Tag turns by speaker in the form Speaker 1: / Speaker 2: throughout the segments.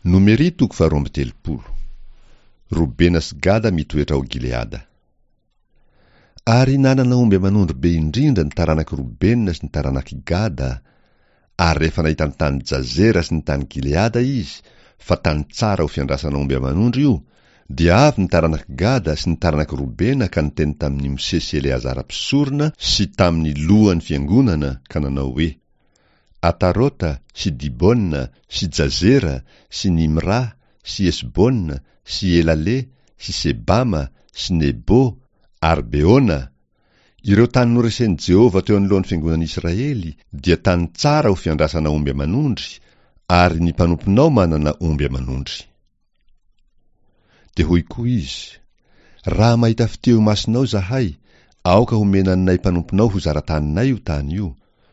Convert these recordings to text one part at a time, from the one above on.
Speaker 1: Nomery toko faharoa amby telopolo. Robena sy Gada mitoetra ao Gileada. Ary nanana omby aman'ondry be indrindra ny taranak'i Robena sy ny taranak'i Gada, ary rehefa nahita ny tany Jazera sy ny tany Gileada izy, fa tany tsara ho fiandrasana omby aman'ondry io, dia avy ny taranak'i Gada sy ny taranak'i Robena ka niteny tamin'i Mosesy sy Eleazara mpisorona sy tamin'ny lohan'ny fiangonana ka nanao hoe, Atarota sy Dibona sy Jazera sy Nimra sy Hesbona sy Elale sy Sebama sy Nebo ary Beona, ireo tany noresen'i Jehovah teo anoloan'ny fiangonan'Israely dia tany tsara ho fiandrasana omby aman'ondry, ary ny mpanomponao manana omby aman'ondry. Dia hoy koa izy, Raha mahita fitia eo imasonao izahay, aoka homena anay mpanomponao ho zara-taninay io tany io,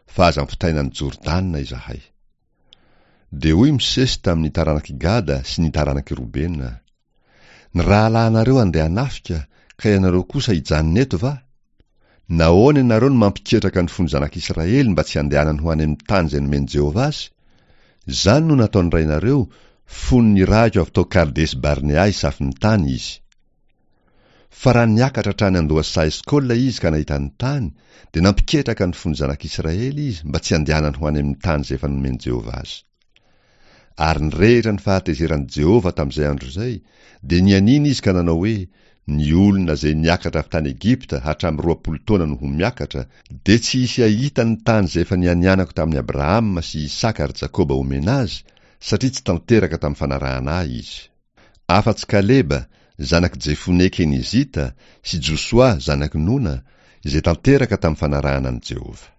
Speaker 1: fa aza ampitaina an'i Jordana izahay. Dia hoy Mosesy tamin'ny taranak'i Gada sy ny taranak'i Robena, Ny rahalahinareo handeha hanafika, ka ianareo kosa hijanona eto va? Nahoana ianareo no mampiketraka ny fon'ny zanak'Israely mba tsy handehanany ho any amin'ny tany izay nomen'i Jehovah azy? Izany no nataon'ny rainareo, fony nirahiko avy tao Kardesy-Barnea hisafo ny tany izy. Fa raha niakatra hatrany an-dohasaha Eskola izy ka nahita ny tany, dia nampiketraka ny fon'ny zanak'Israely izy mba tsy handehanany ho any amin'ny tany izay efa nomen'i Jehovah azy. Ary nirehitra ny fahatezeran'i Jehovah tamin'izay andro izay, dia nianiana izy ka nanao hoe, Ny olona izay niakatra avy tany Egypta hatramin'ny 20 taona no ho miakatra, dia tsy hisy hahita ny tany izay efa nianianako tamin'i Abrahama sy Isaka ary Jakoba homena azy, satria tsy tanteraka tamin'ny fanarahana ahy izy. Afa-tsy Kaleba, zanak'i Jefone Kenizita, sy Josoa, zanak'i Nona, izay tanteraka tamin'ny fanarahana an'i Jehovah.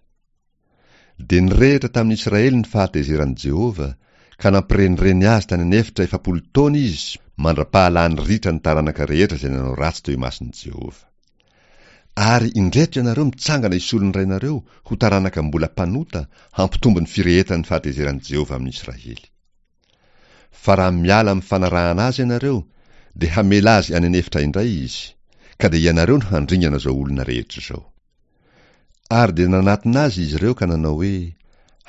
Speaker 1: Dia nirehitra tamin'ny Israely ny fahatezeran'i Jehovah, ka nampirenireny azy tany an'efitra 40 taona izy mandra-pahalany ritra ny taranaka rehetra izay nanao ratsy teo imason'i Jehovah. Ary indreto ianareo mitsangana hisolo ny rainareo ho taranaka mbola mpanota hampitombo ny firehetan'ny fahatezeran'i Jehovah amin'ny Israely. Fa raha miala amin'ny fanarahana azy ianareo, dia hamela azy any an'efitra indray izy, ka dia ianareo no handringana izao olona rehetra izao. Ary dia nanatona azy izy ireo ka nanao hoe,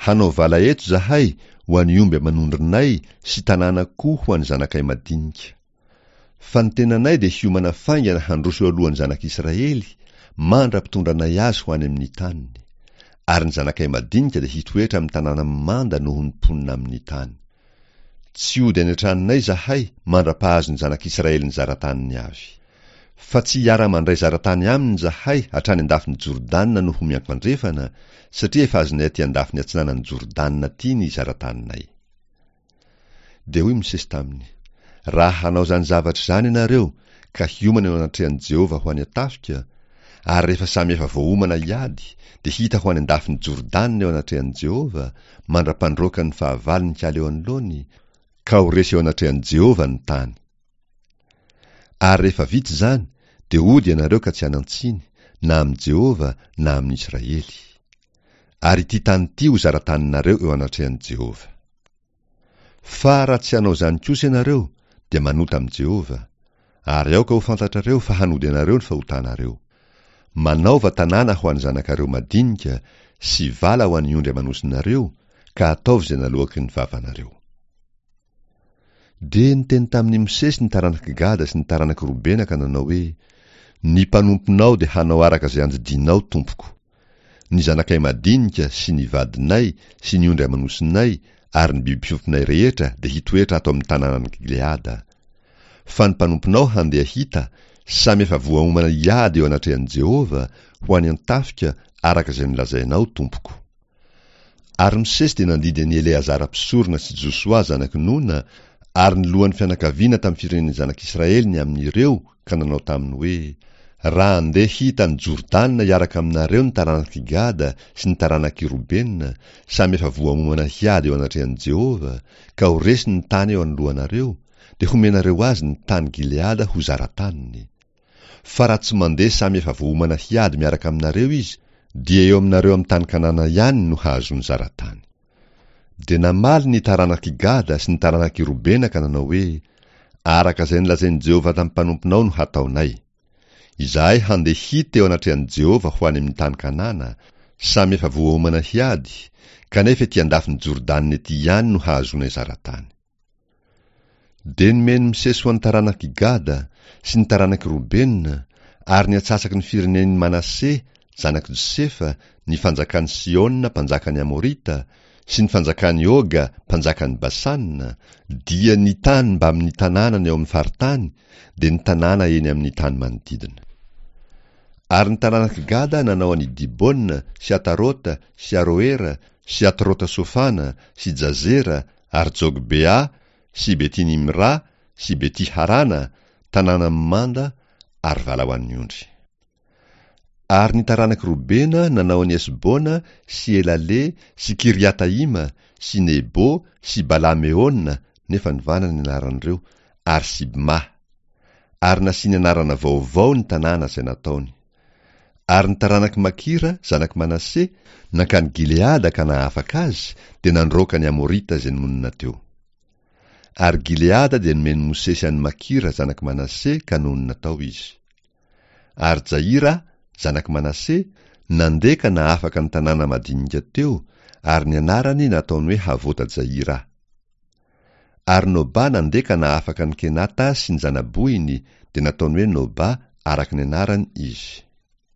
Speaker 1: Hanao vala eto izahay ho an'ny omby aman'ondrinay sy tanàna koa ho an'ny zanakay madinika. Fa ny tenanay dia hiomana faingana handroso eo alohan'ny zanak'Israely, mandra-pitondranay azy ho any amin'ny taniny. Ary ny zanakay madinika dia hitoetra amin'ny tanàna mimanda noho ny mponina amin'ny tany. Tsy hody any an-tranonay izahay mandra-pahazon'ny zanak'Israely ny zara-taniny avy. Fa tsy hiara-mandray zara-tany aminy izahay hatrany an-dafin'i Jordana no ho miankoandrefana, satria efa azonay aty an-dafiny atsinanan'i Jordana aty ny zara-taninay. Dia hoy Mosesy taminy, Raha hanao izany zavatra izany ianareo, ka hiomana eo anatrehan'i Jehovah ho any an-tafika, ary rehefa samy efa voaomana hiady, dia hita ho any an-dafin'i Jordana eo anatrehan'i Jehovah, mandra-pandroaka ny fahavalony hiala eo anoloany, ka ho resy eo anatrehan'i Jehovah ny tany. Ary rehefa vita izany, dia hody ianareo ka tsy hanan-tsiny, na amin'i Jehovah na amin'i Israely. Ary ity tany ity ho zara-taninareo eo anatrehan'i Jehovah. Fa raha tsy hanao izany kosa ianareo, dia manota amin'i Jehovah, ary aoka ho fantatrareo fa hanody anareo ny fahotanareo. Manaova tanàna ho an'ny zanakareo madinika sy vala ho an'ny ondry aman'osinareo, ka ataovy izay naloaky ny vavanareo. Dia niteny tamin'i Mosesy ny taranak'i Gada sy ny taranak'i Robena ka nanao hoe, Ny mpanomponao dia hanao araka izay andidianao, tompoko. Ny zanakay madinika sy ny vadinay sy ny ondry aman'osinay ary ny biby fiompinay rehetra dia hitoetra ato amin'ny tanànan'i Gileada. Fa ny mpanomponao handeha hita, samy efa voaomana hiady eo anatrehan'i Jehovah, ho any an-tafika, araka izay nolazainao, tompoko. Ary Mosesy dia nandidy an'i Eleazara mpisorona sy Josoa zanak'i Nona ary ny lohan'ny fianakaviana tamin'ny firenen'ny zanak'Israely ny amin'ireo ka nanao taminy hoe, Raha handeha hita an'i Jordana hiaraka aminareo ny taranak'i Gada sy ny taranak'i Robena, samy efa voaomana hiady eo anatrehan'i Jehovah, ka ho resy ny tany eo anoloanareo, dia homenareo azy ny tany Gileada ho zara-taniny. Fa raha tsy mandeha samy efa voaomana hiady miaraka aminareo izy, dia eo aminareo amin'ny tany Kanana ihany no hahazoany zara-tany. Dia namaly ny taranak'i Gada sy ny taranak'i Robena ka nanao hoe, Araka izay nolazain'i Jehovah tamin'ny mpanomponao no hataonay. Izahay handeha hita eo anatrehan'i Jehovah ho any amin'ny tany Kanana, samy efa voaomana hiady, kanefa ety an-dafin'i Jordana ety ihany no hahazoanay zara-tany. Dia nomen'i Mosesy ho an'ny taranak'i Gada sy ny taranak'i Robena ary ny antsasaky ny firenen'i Manase, zanak'i Josefa, ny fanjakan'i Sihona mpanjakan'ny Amorita sy ny fanjakan'i Oga mpanjakan'i Basana, dia ny tany mbamin'ny tanànany ao amin'ny faritany, dia ny tanàna eny amin'ny tany manodidina. Ary ny taranak'i Gada nanao an'i Dibona sy Atarota sy Aroera sy Atrota-sofana sy Jazera ary Jogbea sy Beti-nimra sy Beti-harana, tanàna mimanda, ary vala ho an'ny ondry. Ary ny taranak'i Robena nanao an'i Hesbona sy Elale sy Kiriataima sy Nebo sy Bala-meona, nefa novana ny anaran'ireo, ary Sibma. Ary nasiany anarana vaovao ny tanàna izay nataony. Ary ny taranak'i Makira, zanak'i Manase, nankany Gileada ka nahafaka azy, dia nandroaka ny Amorita izay nonina teo. Ary Gileada dia nomen'i Mosesy an'i Makira, zanak'i Manase, ka nonina tao izy. Ary Jaira, zanak'i Manase, nandeha ka nahafaka ny tanàna madinika teo, ary ny anarany nataony hoe Havota-Jaira. Ary Nobà nandeha ka nahafaka an'i Kenata sy ny zana-bohiny, dia nataony hoe Nobà araka ny anarany izy.